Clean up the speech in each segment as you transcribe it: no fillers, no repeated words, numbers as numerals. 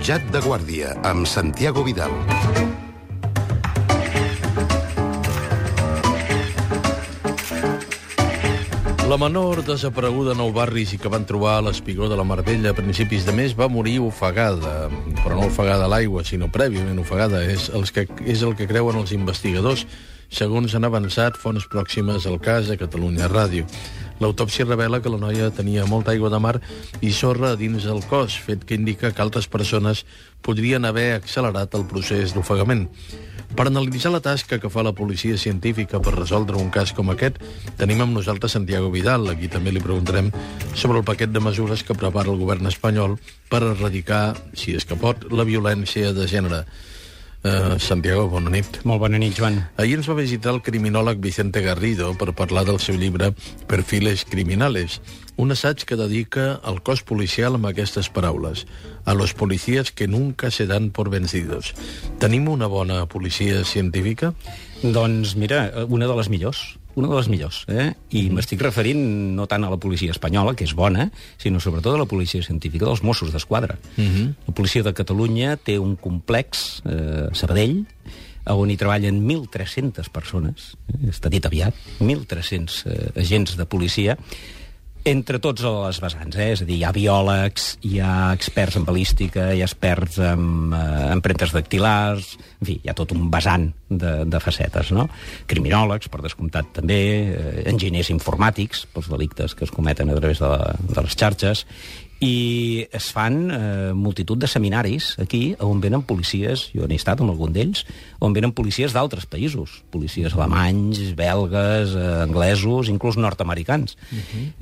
Jutjat de Guàrdia, amb Santiago Vidal. La menor desapareguda a Nou Barris i que van trobar a l'espigó de la Mar Bella a principis de mes va morir ofegada, però no ofegada a l'aigua, sinó prèviament ofegada. És el que creuen els investigadors, segons han avançat fonts pròximes al cas a Catalunya Ràdio. L'autòpsia revela que la noia tenia molta aigua de mar i sorra dins el cos, fet que indica que altres persones podrien haver accelerat el procés d'ofegament. Per analitzar la tasca que fa la policia científica per resoldre un cas com aquest, tenim amb nosaltres Santiago Vidal. Aquí també li preguntarem sobre el paquet de mesures que prepara el govern espanyol per erradicar, si és que pot, la violència de gènere. Santiago, bona nit. Molt bona nit, Joan. Ahir ens va visitar el criminòleg Vicente Garrido per parlar del seu llibre Perfiles criminales, un assaig que dedica al cos policial amb aquestes paraules: a los policías que nunca se dan por vencidos. Tenim una bona policia científica? Doncs mira, una de les millors. I m'estic referint no tant a la policia espanyola, que és bona, sinó sobretot a la policia científica dels Mossos d'Esquadra. La policia de Catalunya té un complex, Sabadell, on hi treballen 1.300 persones, està dit aviat, 1.300 agents de policia, entre tots les vessants, és a dir, hi ha biòlegs, hi ha experts en balística, hi ha experts en empremtes dactilars, en fi, hi ha tot un vessant de facetes, no? Criminòlegs, per descomptat també, enginyers informàtics, pels delictes que es cometen a través de les xarxes, i es fan multitud de seminaris aquí on venen policies, jo n'he estat amb algun d'ells, on venen policies d'altres països, policies alemanys, belgues, anglesos, inclús nord-americans.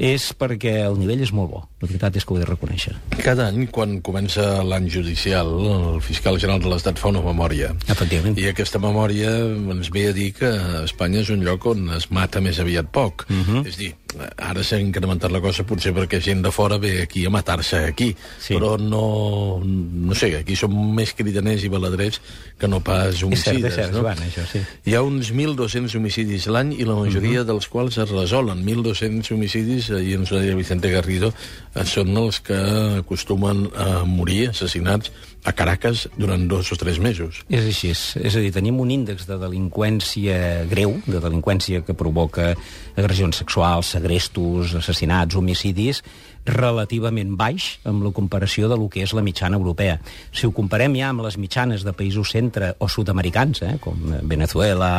És perquè el nivell és molt bo, la veritat és que ho he de reconèixer. Cada any, quan comença l'any judicial, el fiscal general de l'Estat fa una memòria. Efectivament. I aquesta memòria ens ve a dir que Espanya és un lloc on es mata més aviat poc. És dir, ara s'ha incrementat la cosa potser perquè gent de fora ve aquí a matar-se aquí, sí. Però no sé, aquí som més cridaners i baladrers que no pas homicides. És cert, no? Joan, això sí. Hi ha uns 1.200 homicidis l'any i la majoria dels quals es resolen. 1.200 homicidis, ahir ens ho deia Vicente Garrido, són els que acostumen a morir assassinats a Caracas durant 2 o 3 mesos. És així, és a dir, tenim un índex de delinqüència greu, de delinqüència que provoca agressions sexuals, segrestos, assassinats, homicidis, relativament baix amb la comparació de lo que és la mitjana europea. Si ho comparem ja amb les mitjanes de països centre o sud-americans, com Venezuela,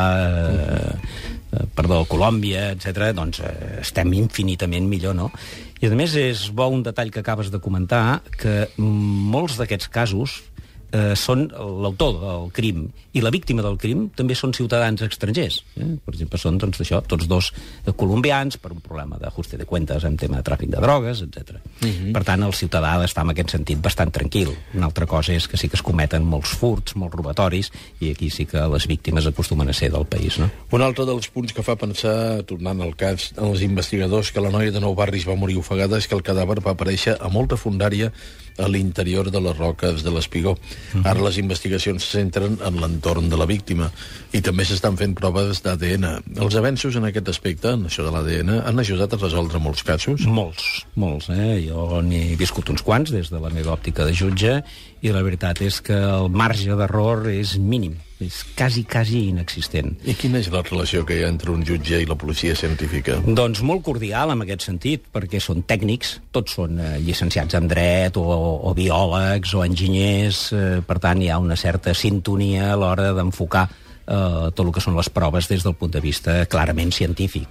Colòmbia, etc., doncs estem infinitament millor, no? I a més és bo un detall que acabes de comentar, que molts d'aquests casos són l'autor del crim i la víctima del crim també són ciutadans estrangers. Per exemple, són això, tots dos colombians per un problema d'ajuste de cuentas en tema de tràfic de drogues, etc. Per tant, el ciutadà ha d'estar en aquest sentit bastant tranquil. Una altra cosa és que sí que es cometen molts furts, molts robatoris, i aquí sí que les víctimes acostumen a ser del país, no? Un altre dels punts que fa pensar, tornant al cas, als investigadors que la noia de Nou Barris va morir ofegada és que el cadàver va aparèixer a molta fondària a l'interior de les roques de l'Espigó. Ara les investigacions se centren en l'entorn de la víctima i també s'estan fent proves d'ADN. Els avenços en aquest aspecte, en això de l'ADN, han ajudat a resoldre molts casos? Molts. Jo n'he viscut uns quants des de la meva òptica de jutge i la veritat és que el marge d'error és mínim. És quasi inexistent. I quina és la relació que hi ha entre un jutge i la policia científica? Doncs molt cordial en aquest sentit, perquè són tècnics, tots són llicenciats en dret o biòlegs o enginyers, per tant hi ha una certa sintonia a l'hora d'enfocar tot el que són les proves des del punt de vista clarament científic.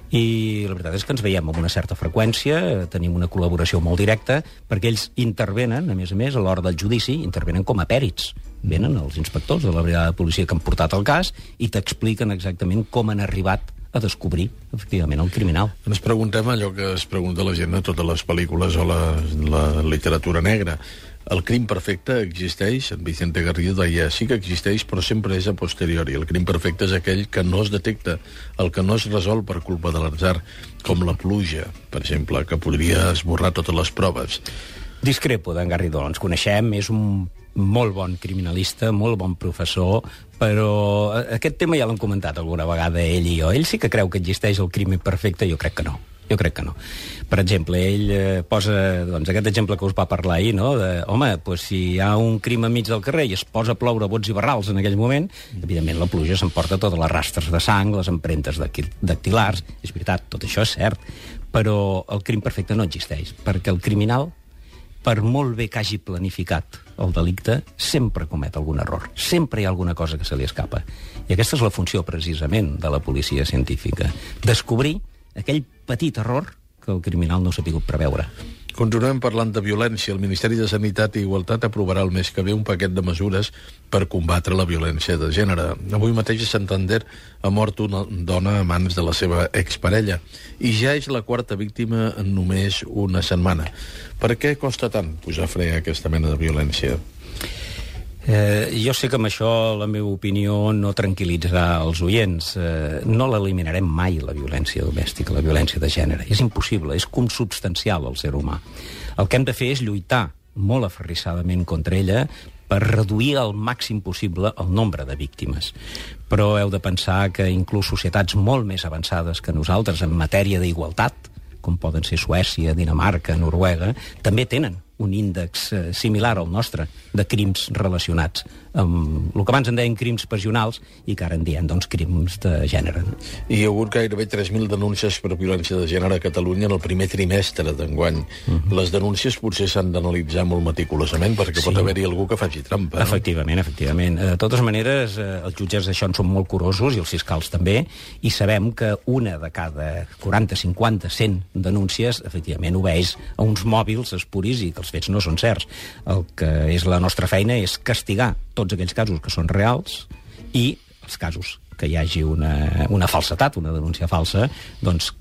I la veritat és que ens veiem amb una certa freqüència, tenim una col·laboració molt directa, perquè ells intervenen, a més, a l'hora del judici, intervenen com a pèrits. Venen els inspectors de la brigada de policia que han portat el cas i t'expliquen exactament com han arribat a descobrir, efectivament, el criminal. Ens preguntem allò que es pregunta la gent a totes les pel·lícules o la literatura negra. El crim perfecte existeix? En Vicente Garrido deia, sí que existeix, però sempre és a posteriori. El crim perfecte és aquell que no es detecta, el que no es resol per culpa de l'atzar, com la pluja, per exemple, que podria esborrar totes les proves. Discrepo d'en Garrido, ens coneixem, és un molt bon criminalista, molt bon professor, però aquest tema ja l'hem comentat alguna vegada ell i jo. Ell sí que creu que existeix el crim perfecte, jo crec que no. Jo crec que no. Per exemple, ell posa aquest exemple que us va parlar ahir, no? Si hi ha un crim enmig del carrer i es posa a ploure bots i barrals en aquell moment, evidentment la pluja s'emporta totes les rastres de sang, les empremtes dactilars, és veritat, tot això és cert, però el crim perfecte no existeix, perquè el criminal, per molt bé que hagi planificat el delicte, sempre comet algun error. Sempre hi ha alguna cosa que se li escapa. I aquesta és la funció, precisament, de la policia científica. Descobrir aquell petit error que el criminal no s'ha pogut preveure. Continuem parlant de violència. El Ministeri de Sanitat i Igualtat aprovarà el mes que ve un paquet de mesures per combatre la violència de gènere. Avui mateix a Santander ha mort una dona a mans de la seva exparella i ja és la quarta víctima en només una setmana. Per què costa tant posar fre a aquesta mena de violència? Jo sé que amb això la meva opinió no tranquil·litzarà els oients. No l'eliminarem mai, la violència domèstica, la violència de gènere. És impossible, és consubstancial al ser humà. El que hem de fer és lluitar molt aferrissadament contra ella per reduir al màxim possible el nombre de víctimes. Però heu de pensar que inclús societats molt més avançades que nosaltres en matèria d'igualtat, com poden ser Suècia, Dinamarca, Noruega, també tenen un índex similar al nostre de crims relacionats amb el que abans en deien crims passionals i que ara en diem, crims de gènere. Hi ha hagut gairebé 3.000 denúncies per violència de gènere a Catalunya en el primer trimestre d'enguany. Les denúncies potser s'han d'analitzar molt meticulosament perquè pot haver-hi algú que faci trampa. Efectivament. De totes maneres, els jutges d'això en són molt curosos i els fiscals també, i sabem que una de cada 40, 50, 100 denúncies efectivament obeeix a uns mòbils espuris i que els fets no són certs. El que és la nostra feina és castigar tots aquells casos que són reals i els casos que hi hagi una falsetat, una denúncia falsa,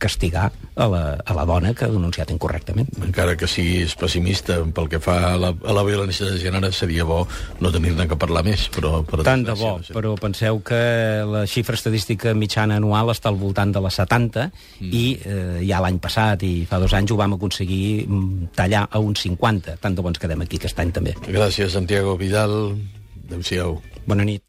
castigar a la dona que ha denunciat incorrectament. Encara que siguis pessimista pel que fa a la violència de gènere, seria bo no tenir-ne que parlar més. Tant de bo, però penseu que la xifra estadística mitjana anual està al voltant de les 70 i ja l'any passat i fa 2 anys ho vam aconseguir tallar a uns 50. Tant de bons quedem aquí aquest any també. Gràcies, Santiago Vidal. Adéu-siau. Bona nit.